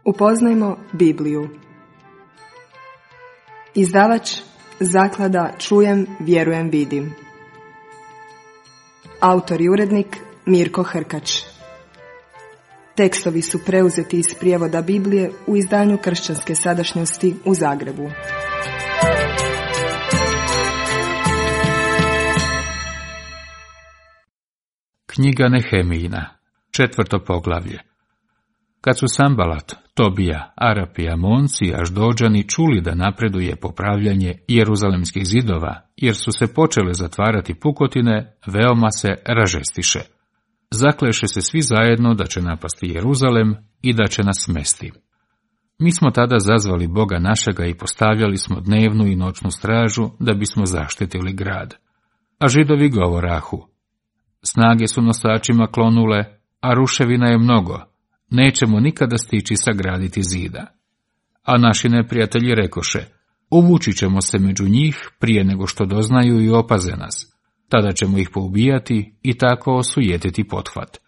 Upoznajmo Bibliju. Izdavač Zaklada Čujem, vjerujem, vidim. Autor i urednik Mirko Hrkač. Tekstovi su preuzeti iz prijevoda Biblije u izdanju Kršćanske sadašnjosti u Zagrebu. Knjiga Nehemijina, 4. poglavlje. Kad su Sambalat, Tobija, Arapi i Amonci, Aždođani čuli da napreduje popravljanje jeruzalemskih zidova, jer su se počele zatvarati pukotine, veoma se ražestiše. Zakleše se svi zajedno da će napasti Jeruzalem i da će nas smesti. Mi smo tada zazvali Boga našega i postavljali smo dnevnu i noćnu stražu da bismo zaštitili grad. A Židovi govorahu: snage su nosačima klonule, a ruševina je mnogo, nećemo nikada stići sagraditi zida. A naši neprijatelji rekoše: uvući ćemo se među njih prije nego što doznaju i opaze nas. Tada ćemo ih poubijati i tako osujetiti pothvat.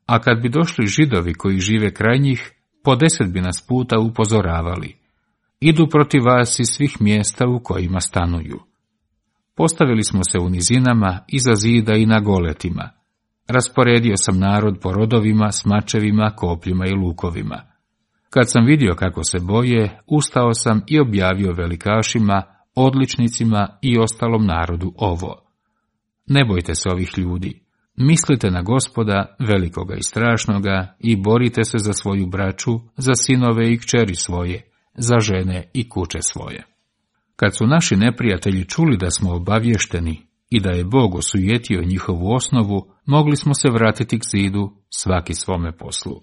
A kad bi došli Židovi koji žive kraj njih, po 10 bi nas puta upozoravali: idu protiv vas iz svih mjesta u kojima stanuju. Postavili smo se u nizinama, iza zida i na goletima. Rasporedio sam narod po rodovima, s mačevima, kopljima i lukovima. Kad sam vidio kako se boje, ustao sam i objavio velikašima, odličnicima i ostalom narodu ovo: ne bojte se ovih ljudi, mislite na Gospoda, velikoga i strašnoga, i borite se za svoju braću, za sinove i kćeri svoje, za žene i kuće svoje. Kad su naši neprijatelji čuli da smo obavješteni i da je Bog osujetio njihovu osnovu, mogli smo se vratiti k zidu, svaki svome poslu.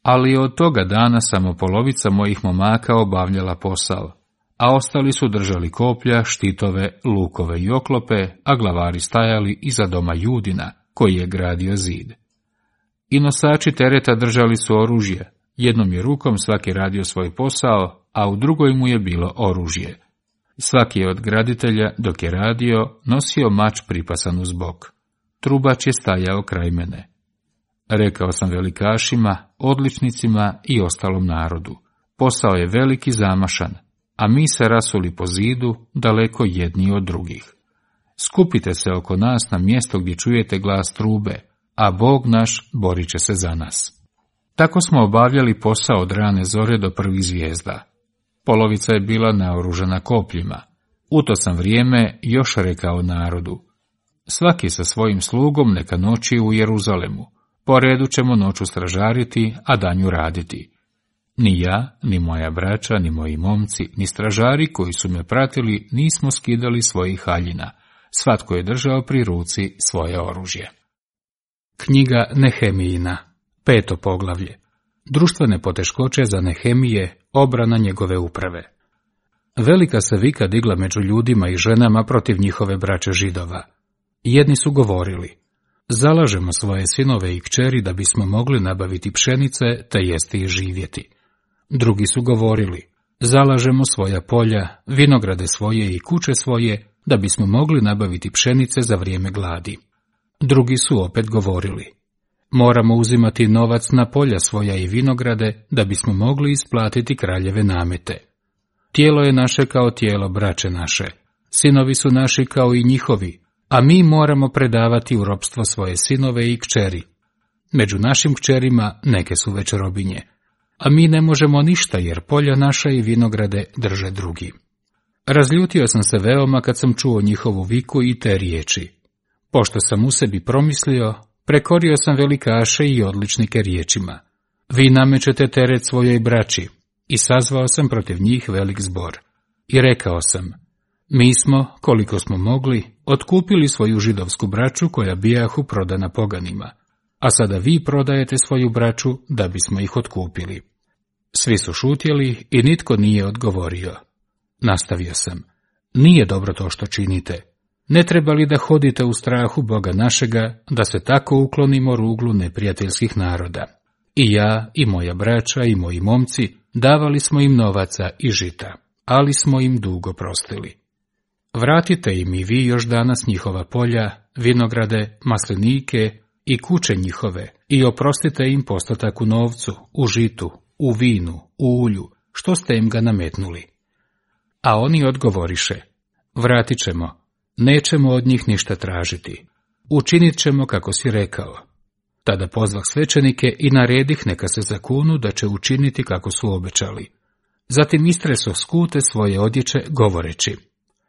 Ali od toga dana samo polovica mojih momaka obavljala posao, a ostali su držali koplja, štitove, lukove i oklope, a glavari stajali iza doma Judina, koji je gradio zid. I nosači tereta držali su oružje, jednom je rukom svaki radio svoj posao, a u drugoj mu je bilo oružje. Svaki je od graditelja, dok je radio, nosio mač pripasan uz bok. Trubač je stajao kraj mene. Rekao sam velikašima, odličnicima i ostalom narodu: posao je velik i zamašan, a mi se rasuli po zidu, daleko jedni od drugih. Skupite se oko nas na mjesto gdje čujete glas trube, a Bog naš borit će se za nas. Tako smo obavljali posao od rane zore do prvih zvijezda. Polovica je bila naoružana kopljima. U to sam vrijeme još rekao narodu: svaki sa svojim slugom neka noći u Jeruzalemu. Po redu ćemo noću stražariti, a danju raditi. Ni ja, ni moja braća, ni moji momci, ni stražari koji su me pratili nismo skidali svojih haljina. Svatko je držao pri ruci svoje oružje. Knjiga Nehemijina, 5. poglavlje. Društvene poteškoće za Nehemije, obrana njegove uprave. Velika se vika digla među ljudima i ženama protiv njihove braće Židova. Jedni su govorili: zalažemo svoje sinove i kćeri da bismo mogli nabaviti pšenice te jesti i živjeti. Drugi su govorili: zalažemo svoja polja, vinograde svoje i kuće svoje da bismo mogli nabaviti pšenice za vrijeme gladi. Drugi su opet govorili: moramo uzimati novac na polja svoja i vinograde da bismo mogli isplatiti kraljeve namete. Tijelo je naše kao tijelo braće naše, sinovi su naši kao i njihovi, a mi moramo predavati u ropstvo svoje sinove i kćeri. Među našim kćerima neke su već robinje, a mi ne možemo ništa jer polja naša i vinograde drže drugi. Razljutio sam se veoma kad sam čuo njihovu viku i te riječi. Pošto sam u sebi promislio, prekorio sam velikaše i odličnike riječima: vi namećete teret svojoj braći. I sazvao sam protiv njih velik zbor. I rekao sam: mi smo, koliko smo mogli, otkupili svoju židovsku braću koja bijahu prodana poganima, a sada vi prodajete svoju braću da bismo ih otkupili. Svi su šutjeli i nitko nije odgovorio. Nastavio sam: nije dobro to što činite. Ne treba li da hodite u strahu Boga našega, da se tako uklonimo ruglu neprijateljskih naroda? I ja, i moja braća, i moji momci davali smo im novaca i žita, ali smo im dugo prostili. Vratite im i vi još danas njihova polja, vinograde, maslinike i kuće njihove i oprostite im postotak u novcu, u žitu, u vinu, u ulju, što ste im ga nametnuli? A oni odgovoriše, vratit ćemo, nećemo od njih ništa tražiti, učinit ćemo kako si rekao. Tada pozvah svećenike i naredih neka se zakunu da će učiniti kako su obećali. Zatim istreso skute svoje odjeće govoreći,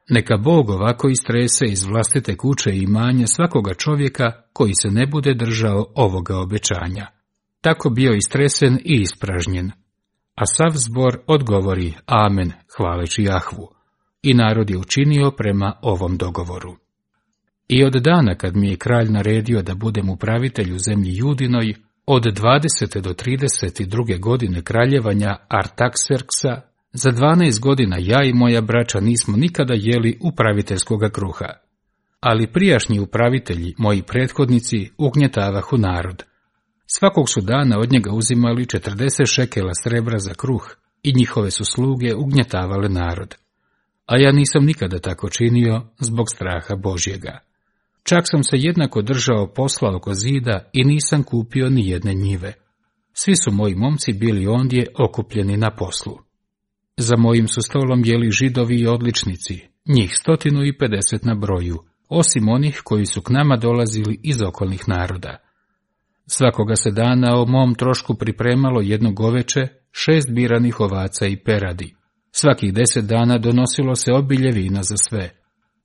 neka Bog ovako istrese iz vlastite kuće i imanja svakoga čovjeka koji se ne bude držao ovoga obećanja. Tako bio istresen i ispražnjen. A sav zbor odgovori amen, hvaleći Jahvu. I narod je učinio prema ovom dogovoru. I od dana kad mi je kralj naredio da budem upravitelj u zemlji Judinoj, od 20. do 32. godine kraljevanja Artakserksa, za 12 godina ja i moja braća nismo nikada jeli upraviteljskoga kruha. Ali prijašnji upravitelji, moji prethodnici, ugnjetavahu narod. Svakog su dana od njega uzimali 40 šekela srebra za kruh i njihove su sluge ugnjetavale narod. A ja nisam nikada tako činio zbog straha Božjega. Čak sam se jednako držao posla oko zida i nisam kupio ni jedne njive. Svi su moji momci bili ondje okupljeni na poslu. Za mojim su stolom jeli Židovi i odličnici, njih 150 na broju, osim onih koji su k nama dolazili iz okolnih naroda. Svakoga se dana o mom trošku pripremalo jedno goveče, 6 biranih ovaca i peradi. Svakih 10 dana donosilo se obilje vina za sve.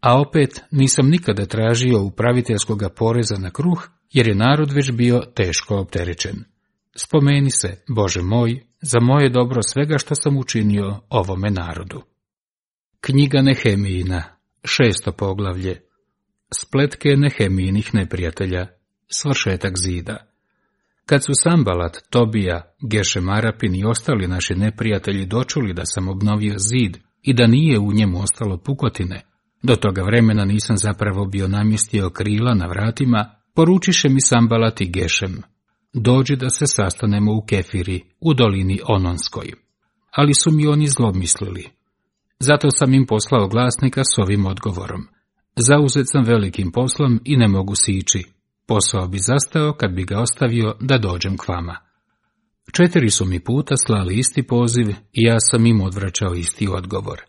A opet nisam nikada tražio upraviteljskoga poreza na kruh, jer je narod već bio teško opterećen. Spomeni se, Bože moj, za moje dobro svega što sam učinio ovome narodu. Knjiga Nehemijina, 6. poglavlje. Spletke Nehemijinih neprijatelja, svršetak zida. Kad su Sambalat, Tobija, Gešem Arapin i ostali naši neprijatelji dočuli da sam obnovio zid i da nije u njemu ostalo pukotine, do toga vremena nisam zapravo bio namjestio krila na vratima, poručiše mi Sambalat i Gešem, dođi da se sastanemo u Kefiri, u dolini Ononskoj. Ali su mi oni zlomislili. Zato sam im poslao glasnika s ovim odgovorom. Zauzet sam velikim poslom i ne mogu sići. Posao bi zastao kad bi ga ostavio da dođem k vama. 4 su mi puta slali isti poziv i ja sam im odvraćao isti odgovor.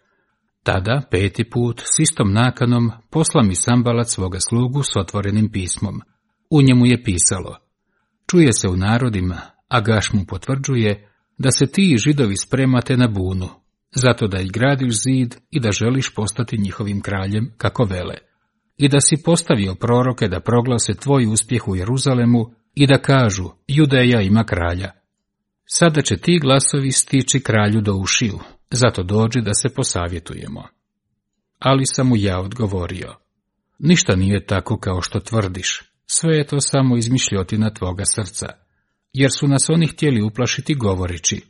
Tada, 5. put, s istom nakanom, posla mi Sambalat svoga slugu s otvorenim pismom. U njemu je pisalo, čuje se u narodima, a Gaš mu potvrđuje, da se ti Židovi spremate na bunu, zato da i gradiš zid i da želiš postati njihovim kraljem, kako vele, i da si postavio proroke da proglase tvoj uspjeh u Jeruzalemu i da kažu, Judeja ima kralja. Sada će ti glasovi stići kralju do ušiju, zato dođi da se posavjetujemo. Ali sam mu ja odgovorio, ništa nije tako kao što tvrdiš, sve je to samo izmišljotina tvoga srca, jer su nas oni htjeli uplašiti govoreći,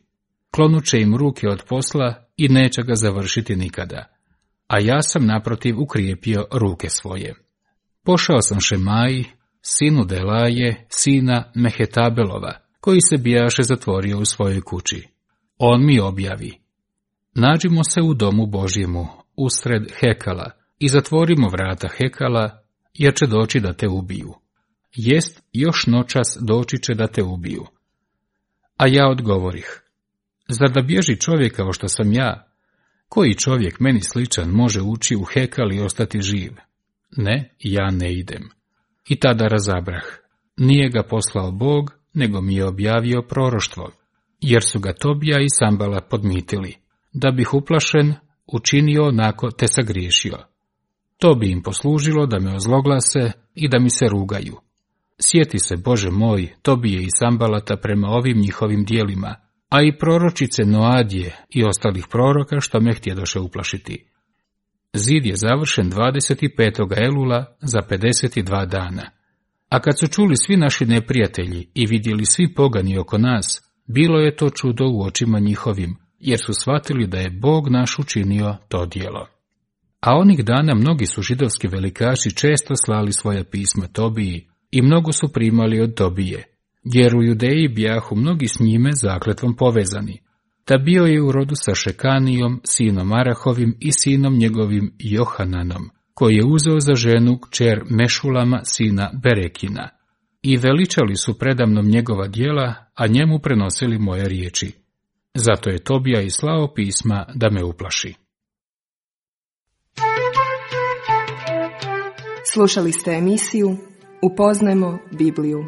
klonuće im ruke od posla i neće ga završiti nikada. A ja sam naprotiv ukrijepio ruke svoje. Pošao sam Šemaji, sinu Delaje, sina Mehetabelova, koji se bijaše zatvorio u svojoj kući. On mi objavi, nađimo se u domu Božjemu, usred Hekala, i zatvorimo vrata Hekala, jer će doći da te ubiju. Jest, još noćas doći će da te ubiju. A ja odgovorih, zar da bježi čovjek kao što sam ja? Koji čovjek meni sličan može ući u Hekal i ostati živ? Ne, ja ne idem. I tada razabrah. Nije ga poslao Bog, nego mi je objavio proroštvo, jer su ga Tobija i Sambala podmitili, da bih uplašen učinio onako te sagriješio. To bi im poslužilo da me ozloglase i da mi se rugaju. Sjeti se, Bože moj, Tobije i Sambalata prema ovim njihovim dijelima, a i proročice Noadije i ostalih proroka što me htjedoše uplašiti. Zid je završen 25. Elula za 52 dana. A kad su čuli svi naši neprijatelji i vidjeli svi pogani oko nas, bilo je to čudo u očima njihovim, jer su shvatili da je Bog naš učinio to djelo. A onih dana mnogi su židovski velikaši često slali svoja pisma Tobiji i mnogo su primali od Tobije, jer u Judeji bijahu mnogi s njime zakletvom povezani. Ta bio je u rodu sa Šekanijom, sinom Arahovim i sinom njegovim Johananom, koji je uzeo za ženu kćer Mešulama, sina Berekina. I veličali su predamnom njegova djela, a njemu prenosili moje riječi. Zato je Tobija i slao pisma da me uplaši. Slušali ste emisiju Upoznajmo Bibliju.